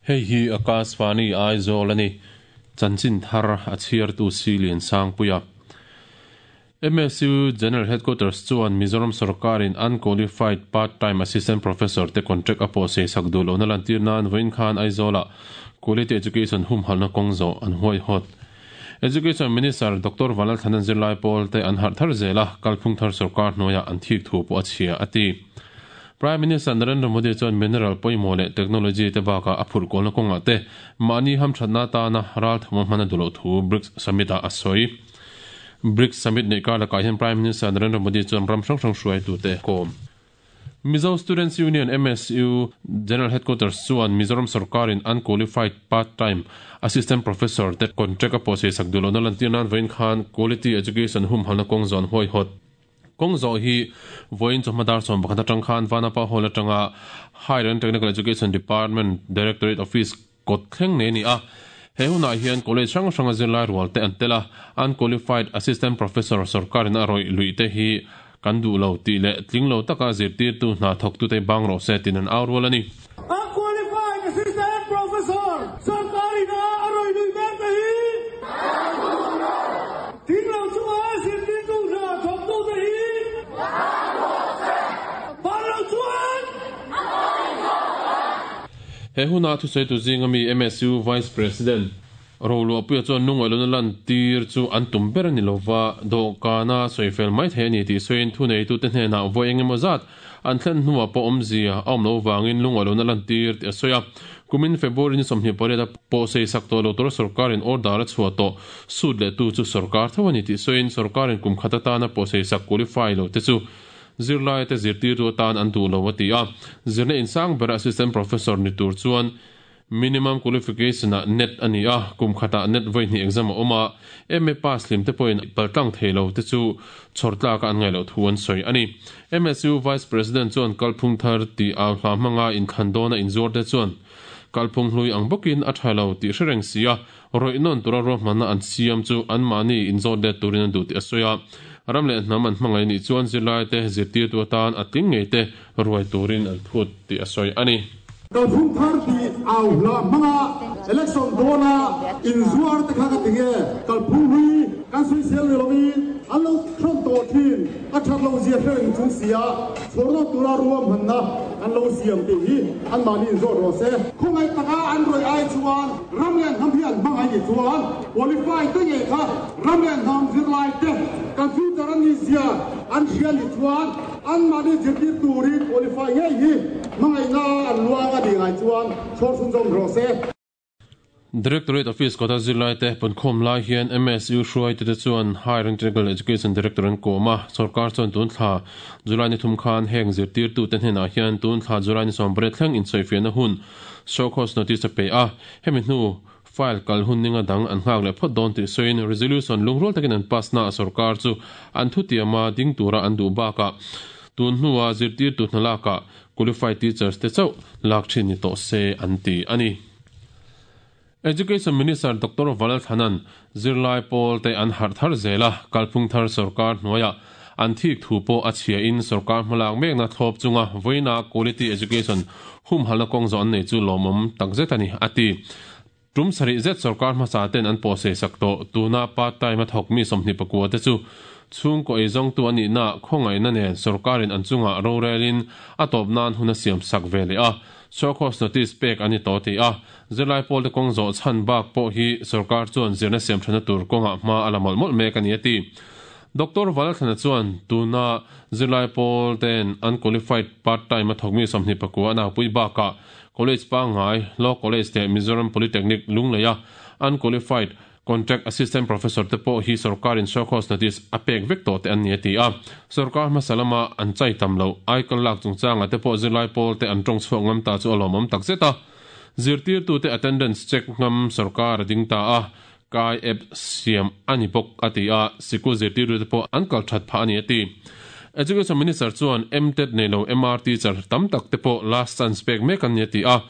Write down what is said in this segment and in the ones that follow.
Hei hi Akashvani Aizawl a ni. Chanchin thar a chhiartu Silian Sangpuia. MSU General Headquarters chuan Mizoram sorkarin unqualified part-time assistant professor te contract a pawh sei sak duh lohna lantir nan vawiin khan Aizawlah Quality Education humhalhna kawng zawh an huaihawt. Education Minister Doctor Vanlalthlana zirlai pawl te an harh thar zel a, kalphung thar sorkar hnuaiah an thik thu pawh a chhia, a ti. Prime Minister Narendra Modi chuan mineral pawimawh leh technology te bakah a phurh kualna kawngah te mahni hamthatna atana ralthawm a hman a duh loh thu BRICS Summit-ah a sawi. BRICS Summit neih kar lakah hian Prime Minister Narendra Modi chuan ram hrang hrang hruaitute a kawm. Mizo Students Union, MSU, General Headquarters chuan Mizoram sorkarin unqualified part-time assistant professor te contract a pawhsei sak duh lohna lantir nan vawiin khan quality education humhalna kawng zawn huaihawt kawng zawh hi vawiin chawhma dar 11 atang khan Vanapa Hall atanga Higher and Technical Education Department Directorate Office kawt thleng nei a ni a. He hunah hian college hrang hranga zirlai rual te an tel a, unqualified assistant professor sorkarin a rawih luih te hi kan duh lo tih leh tling lo taka zirtirtu hna thawktute bang rawh se tiin an au rual a ni. Unqualified assistant professor sorkarin a rawih luih mek te hi kan duh lo. Tling lo chunga zirtirtu hna thawktute hi bang rawh se. Bang lo chuan a pawi zawk ang. He huna thusawitu zinga mi MSU Vice President Roluahpuia chuan lungawihlawna lantir chu an tum ber a ni lova, dawhkana sawifel mai thei a ni tih sawiin thuneitute hnenah vawi eng emaw zat an thlen hnuah pawh awmzia a awm loh vangin lungawihlawna lantir tih a sawi a. Kumin February ni 28 a pawhsei sak tawh lo tura sorkarin order a chhuah tawh sut lehtu chu sorkar tho a ni tih sawiin sorkarin kum khat atana pawhsei sak qualify lo te chu Zirlaite zirtirtu atan an duh lo a ti a, zirna insang bera assistant professor ni tur chuan minimum qualification-ah net a ni a, kum khatah net vawi hnih exam a awm a, MA pass hlim te pawhin paltlang thei lo te chu chhawr tlaka an ngaih loh thu an sawi a ni. MSU Vice President chuan kalphung thar tih au hla hmanga inthlan dawna inzuar te chuan kalphung hlui ang bawkin a tha lo tih hre reng si a, Rawih nawn tura ruahmanna an siam chu anmahni inzawt let turin an duh tih a sawi a. Ram leh hnam an hmangaih nih chuan zirlaite zirtirtu atan a tling ngei te ruai turin an phut tih a sawi a ni. Kalphung thar tih au hla hmanga election dawna inzuar te kha ka ti nge? Kalphung hlui kan sawisel ni lovin an lo thawn tawh thin, a that loh zia hre reng chung sia chhawr nawn tura ruahmanna an lo siam tih hi anmahni inzawt rawh se. Khawngaih taka an rawih ai chuan Ram leh hnam hi an hmangaih nih chuan qualify te ngei kha ram leh hnam zirlai te kan future an nih zia an hria nih chuan anmahni zirtir turin qualify ngei hi hmangaihna an luang a nih ngai chuan chhawr chhunzawm rawh se. Directorate Office kawta zirlai te punkhawm lai hian MSU hruaitute chuan Higher and Technical Education Director an kawm a, sorkar chuan tun thla July ni thum khan heng zirtirtute hnenah hian tun thla July ni 18 thleng insawifiahna hun Show cause notice a pe a, hemi hnu file kal hun ninga dang an nghak leh phawt dawn tih sawiin resolution lungrual takin an pass na a sorkar chu an thutiama ding tura an duh bakah tun hnua zirtirtu hna lakah qualified teachers te chauh lak thin ni tawh se an ti a ni. Education Minister Doctor Valalthanan zirlai pawl te an harh thar zel a, kalphung thar sorkar hnuaiah an thik thu pawh a chhia in sorkar hmalak mekna thlawp chunga vawiina quality education humhalna kawng zawh an nei chu lawmawm takzet a ni, a ti. Tum sarih zet sorkar hmasa ten an pawhsei sak tawh. Tuna part time a thawk mi 24 te chu chhungkaw eizawngtu a nihna khawngaihna nen sorkarin an chungah rorelin a tawp nan hun a siam sak ve leh a, show cause notice pek a ni tawh tih a zirlai pawlte kawng zawh chhan bak pawh hi sorkar chuan zirna siam thana tur kawngah hma a la mawlh mawlh mek a ni a ti. Doctor Valalthlana chuan tuna zirlai pawl ten unqualified part time a thawk mi 29 a naupui bakah College pangngai, Law College leh Mizoram Polytechnic Lungleia unqualified Contract Assistant Professor te pawh hi sorkarin show cause notice a pek vek tawh te an ni a ti a. Sorkar hmasa lama an chai tam loh aikal lak chungchangah te pawh zirlai pawl te an tawng chhuak ngam ta chu a lawmawm tak zet a. Zirtirtute attendance check ngam sorkar a ding ta a, kai app siam a ni bawk a ti a, sikul zirtirtute pawh an kal that phah a ni a ti. Education Minister chuan MTET nei lo MR teacher tam tak te pawh last chance pek mek an ni a ti a.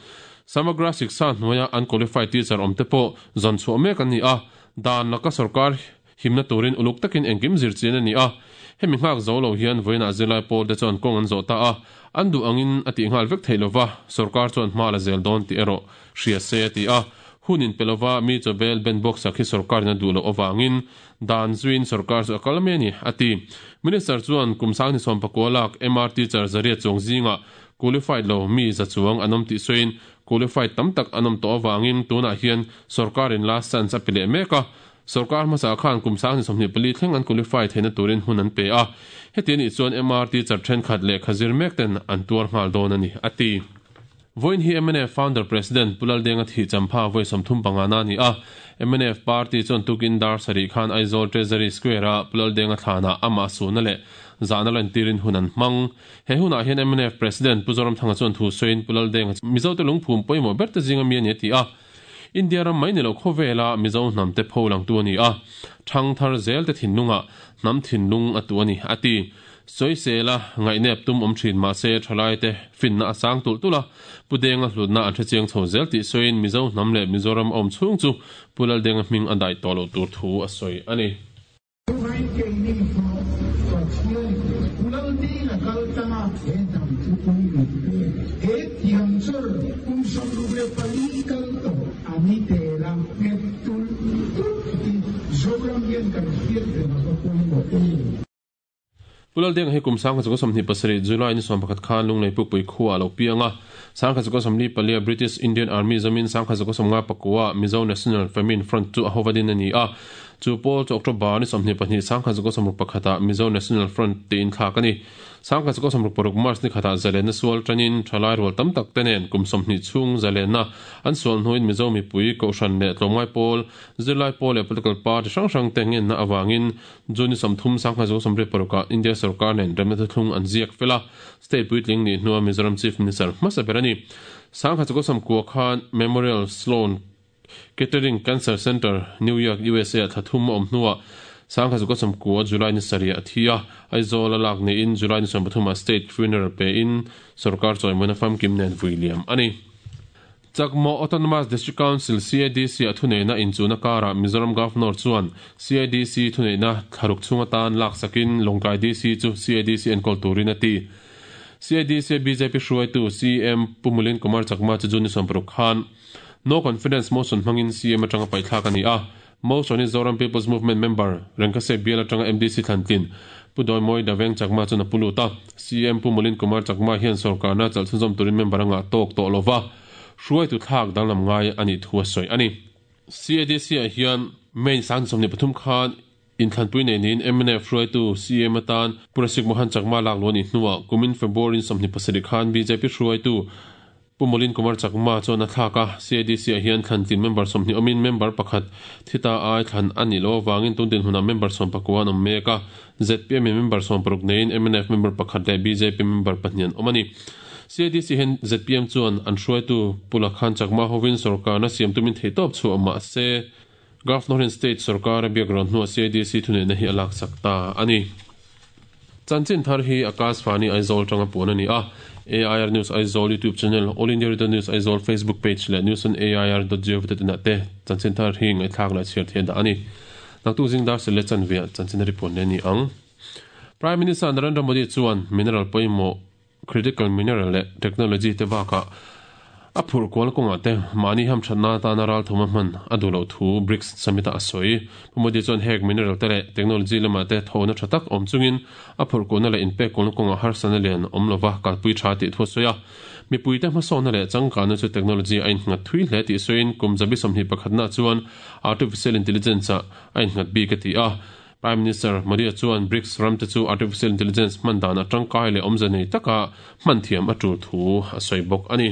Samagra Shiksha hnuaia unqualified teacher awm te pawh zawn chhuah mek an ni a, dan laka sorkar Himna turin uluk takin engkim zir chian a ni a. Hemi nghak zo lo hian vawiinah zirlai pawl te chuan kawng an zawh ta a, an duh angin a tih nghal vek theih lova, sorkar chuan hma la zel dawn tih erawh hria se a ti a. Hun inpe lova mi chawbel ben bawk sak hi sorkarin a duh loh avangin dan zuiin sorkar chu a kal mai a ni, a ti. Minister chuan kum sangni sawmpakua lak MRT char zariat chuang zingah qualified lo mi za chuang an awm tih sawiin qualified tam tak an awm tawh avangin tunah hian sorkarin last chance a pe leh mek a, Sorkar hmasa khan kum 2024 thleng an qualify theihna turin hun an pe a, heti anih chuan MRT char thenkhat lehkha zir mek ten an tuar nghal dawn a ni, a ti. Vawiin hi mnf Founder President Pu Laldenga thih champha vawi 35 na a ni a, mnf Party chuan tukin dar sarih khan Aizawl Treasury Square-a Pu Laldenga thlanah amah suhna leh zahna lantirin hun an hmang. He hunah hian mnf President Pu Zoramthanga chuan thu sawiin Pu Laldenga chu Mizote lungphum pawimawh berte zinga mi a ni a ti a, India ram mai ni lo khawvela Mizo hnamte pho langtu a ni a, thang thar zelte thinlungah hnam thinlung a tu a ni, a ti. Sawisela ngaihnep tum awm thin mahse thalaite finna a sang tulh tulh a, Pu Denga hlutna an hrechiang chho zel tih sawiin Mizo hnam leh Mizoram a awm chhung chu Pu Laldenga hming a daih tawh loh tur thu a sawi a ni. Chuvangin keini pawh Pathian Pu Laldenga kal tlanga he hnam thupui min pek he thiam chawr kum 64 kal tawh a ni tel a, nghet tulh tulh hi Zoram hian kan hriat reng a va pawimawh em. Pu Laldenga hi kum 1927 July ni 11 khan Lunglei Pukpui khuaah a lo piang a, 1944 a British Indian Army zawmin 1959 Mizo National Famine Front chu a hova din a ni a, Chu pawl chu October ni 22 1961 ah Mizo National Front tiin thlak a ni. 1966 March ni khatah zalenna sual tanin thalai rual tam tak te nen kum 20 chhung zalenna an sual hnuin Mizo mipui, Kohhran leh tlawmngai pawl, zirlai pawl leh political party hrang hrang te ngenna avangin June ni 30 1986 ah India sorkar nen remna thuthlung an ziak fel a, state puitling nih hnua Mizoram Chief Minister hmasa ber a ni. 1999 khan Memorial Sloan Kettering Cancer Center, New York, USA ah thla thum a awm hnuah 1999 July ni sarih a thi a, Aizawl a lak niin July ni 13 ah State Funeral pein sorkar chawimawina famkim nen vui liam a ni. Chakmaw Autonomous District Council, CADC, a thuneihna inchuhna karah Mizoram Governor chuan CADC thuneihna thlaruk chhung atan laksakin Lawngtlai DC chu CADC enkawl turin a ti. CADC a bjp hruaitu CM Pu Mulin Kumar Chakma chu June ni 60 khan No Confidence Motion hmangin CM atanga paihthlak a ni a, Motion hi Zoram People's Movement member Rengkase bial atanga MDC thlantlin Pu Dawimawi Daveng Chakma chuan a pu lut a. CM Pu Mulin Kumar Chakma hian sorkarna chalhchhunzawm turin member a ngah tawk tawh lova, hruaitu thlak danglam ngai a nih thu a sawi a ni. CADC-ah hian May 23 khan Inthlanpui nei niin mnf hruaitu CM atan Pu Rasik Mohan Chakma lak luh a nih hnuah kumin February 27 khan bjp hruaitu Pu Molin Kumar Chakma chuan a thlak a, CADC-ah hian thlantlin member 20 awmin member pakhat thi ta ai thlan a nih loh avangin tun dinhmunah member 19 an awm mek a, zpm in member 60 neiin mnf member pakhat leh bjp member pahnih an awm a ni. CADC hian zpm chuan an hruaitu Pu Lakhan Chakma hovin sorkarna siam tumin theihtawp chhuah mahse, Governor hian State sorkar a biak rawn hnuah CADC thuneihna hi a laksak ta a ni. Chanchin thar hi Akash Fani Aizawl tanga puan a ni a, AIR News Aizawl YouTube channel, All India Radio News Aizawl Facebook page leh news on air dot gov dot in ah te chanchin thar hi ngaihthlak leh chhiar theih a dah a ni. Naktuk zing dar sel leh chanve ah chanchin a ri puan leh a ni ang. Prime Minister Narendra Modi chuan mineral pawimawh critical mineral leh technology te bakah a phurh kual kawngah te mahni hamthatna atana ralthawm a hman a duh loh thu BRICS summit-ah a sawi. Pu Modi chuan hek mineral te leh technology lamah te thawhna tha tak awm chungin a phurh kualna leh inpek kualna kawngah harsatna lian awm lova kalpui tha tih thu a sawi a. Mipuite hmasawnna leh changkanna chu technology a innghat thui hle tih sawiin kum zabi 21 na chuan artificial intelligence-ah a innghat bik a ti a. Prime Minister Modi chuan BRICS ramte chu artificial intelligence hman dan a tangkai leh awmze nei taka hman thiam a tul thu a sawi bawk a ni.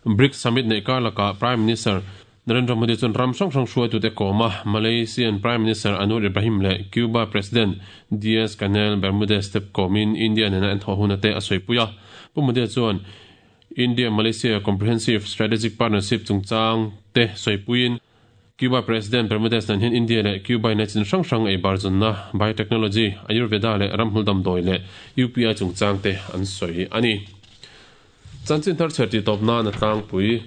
BRICS summit neih kar lakah Prime Minister Narendra Modi chuan ram hrang hrang hruaitute kawm a, Malaysian Prime Minister Anwar Ibrahim leh Cuba President Diaz-Canel Bermudez te kawmin India nena an thawh huna te a sawipui a. Pu Modi chuan India-Malaysia Comprehensive Strategic Partnership chungchang te sawipuiin, Cuba President Bermudez nen hian India leh Cuba in a chin hrang hrang ei bar zawnna, biotechnology, Ayurveda leh ramhmul damdawi leh UPI chungchang te an sawi a ni. Chanchin thar chher tih tawp nan a tlangpui.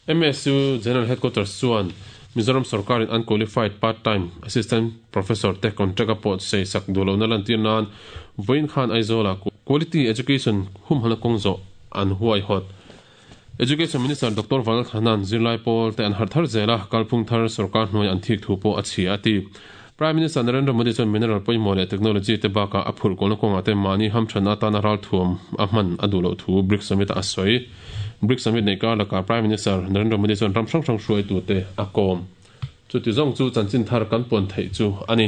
MSU General Headquarters chuan Mizoram sorkarin unqualified part-time assistant professor te contract a pawt sei sak duh lohna lantir nan vawiin khan Aizawla quality education humhalna kawng zawh an huaihawt. Education Minister Doctor Vanlal Thana'n zirlai pawl te an harh thar zel a, kalphung thar sorkar hnuai an thik thu pawh a chhia a ti. Prime Minister Narendra Modi chuan mineral pawimawh leh technology te bakah a phurh kawlna kawngah te mahni hamthanna atana ralthuam a hman a duh loh thu BRICS Summit ah a sawi. BRICS Summit neih kar lakah Prime Minister Narendra Modi chuan ram hrang hrang hruaitute a kawm. Chuti zawng chu chanchin thar kan puan theih chu a ni.